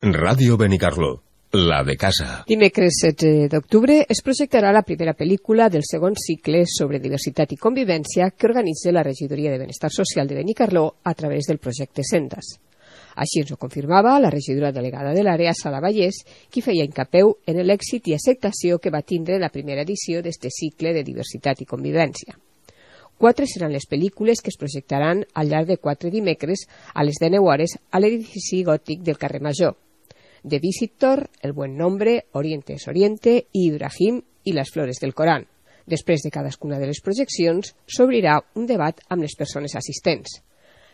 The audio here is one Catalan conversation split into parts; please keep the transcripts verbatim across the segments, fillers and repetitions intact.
Ràdio Benicarló, la de casa. Dimecres setze d'octubre es projectarà la primera pel·lícula del segon cicle sobre diversitat i convivència que organitza la Regidoria de Benestar Social de Benicarló a través del projecte Sendas. Així ens ho confirmava la regidora delegada de l'àrea, Sala Vallès, qui feia incapeu en l'èxit i acceptació que va tindre la primera edició d'este cicle de diversitat i convivència. Quatre seran les pel·lícules que es projectaran al llarg de quatre dimecres a les deu hores a l'edifici gòtic del carrer Major. The Visitor, El Buen Nombre, Oriente es Oriente i Ibrahim i les Flores del Corán. Després de cadascuna de les projeccions, s'obrirà un debat amb les persones assistents.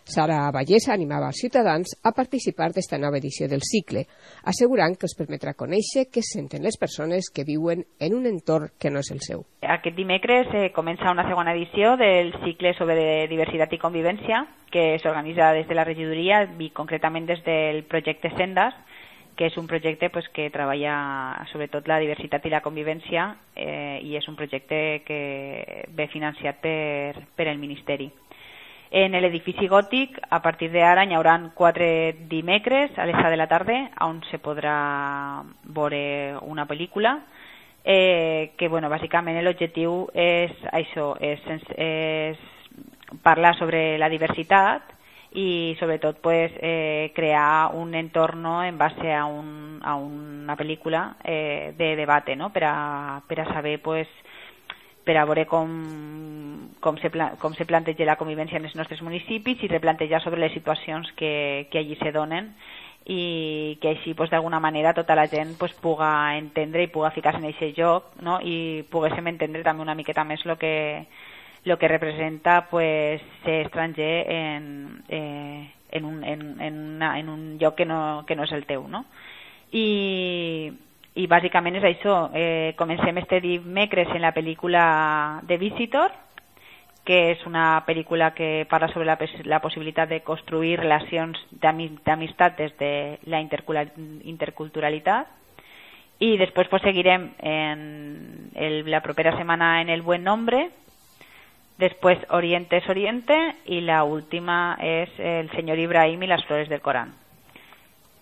Sara Vallès animava als ciutadans a participar d'esta nova edició del cicle, assegurant que els permetrà conèixer què senten les persones que viuen en un entorn que no és el seu. Aquest dimecres eh, comença una segona edició del cicle sobre diversitat i convivència que s'organitza des de la regidoria i concretament des del projecte Sendas, que és un projecte pues, que treballa sobretot la diversitat i la convivència eh, i és un projecte que ve financiat per, per el Ministeri. En l'edifici gòtic, a partir d'ara, hi haurà quatre dimecres a les set de la tarda on se podrà veure una pel·lícula eh, que, bueno, bàsicament l'objectiu és això, és, és parlar sobre la diversitat i sobretot pues, eh, crear un entorn en base a, un, a una pel·lícula eh, de debate, no? per, a, per a saber pues, per a veure com, com, se, com se planteja la convivència en els nostres municipis i replantejar sobre les situacions que, que allí se donen i que així pues, d'alguna manera tota la gent pues, puga entendre i puga ficar-se en aquest joc, no? I poguéssim entendre també una miqueta més el que lo que representa pues, ser estranger en, eh, en, un, en, en, una, en un lloc que no, que no és el teu, no? I, i bàsicament és això, eh, comencem este dimecres en la pel·lícula The Visitor, que és una pel·lícula que parla sobre la, la possibilitat de construir relacions d'amistat des de la interculturalitat, i després pues, seguirem en el, la propera setmana en El Buen Nombre. Después Oriente es Oriente y la última es El Señor Ibrahim y las Flores del Corán.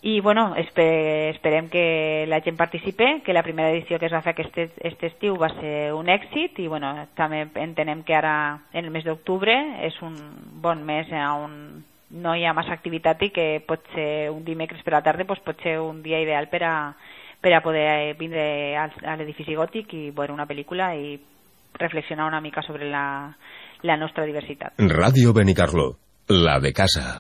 I bueno, esper, esperem que la gent participe, que la primera edició que es va fer aquest, aquest estiu va ser un èxit i bueno, també entenem que ara en el mes d'octubre és un bon mes on no hi ha massa activitat i que pot ser un dimecres per la tarda, doncs pot ser un dia ideal per a, per a poder vindre al, a l'edifici gòtic i veure una pel·lícula i reflexionar una mica sobre la, la nostra diversitat. Ràdio Benicarló, la de casa.